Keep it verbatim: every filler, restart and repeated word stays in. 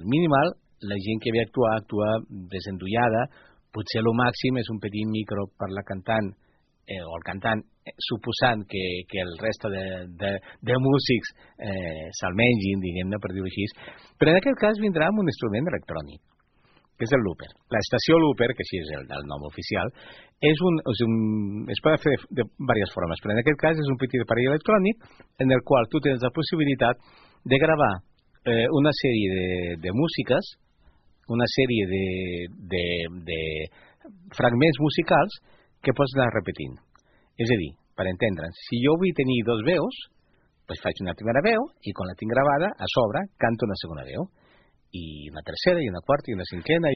minimal, la gent que ve a actuar, actua desendollada, potser el màxim és un petit micro per la cantant, eh, o el cantant, eh, suposant que, que el resto de, de, de músics eh, se'l mengin, diguem-ne, per dir-ho així, però en aquest cas vindrà amb un instrument electrònic, que és el looper. L'estació looper, que així és el, el nom oficial, és un, és un, es pot fer de, de diverses formes, però en aquest cas és un petit aparell electrònic en el qual tu tens la possibilitat de gravar eh, una sèrie de, de músiques, una sèrie de, de, de fragments musicals que pots anar repetint. És a dir, per entendre'ns, si jo vull tenir dos veus, doncs faig una primera veu i quan la tinc gravada, a sobre, canto una segona veu. I una tercera, i una quarta, i una cinquena,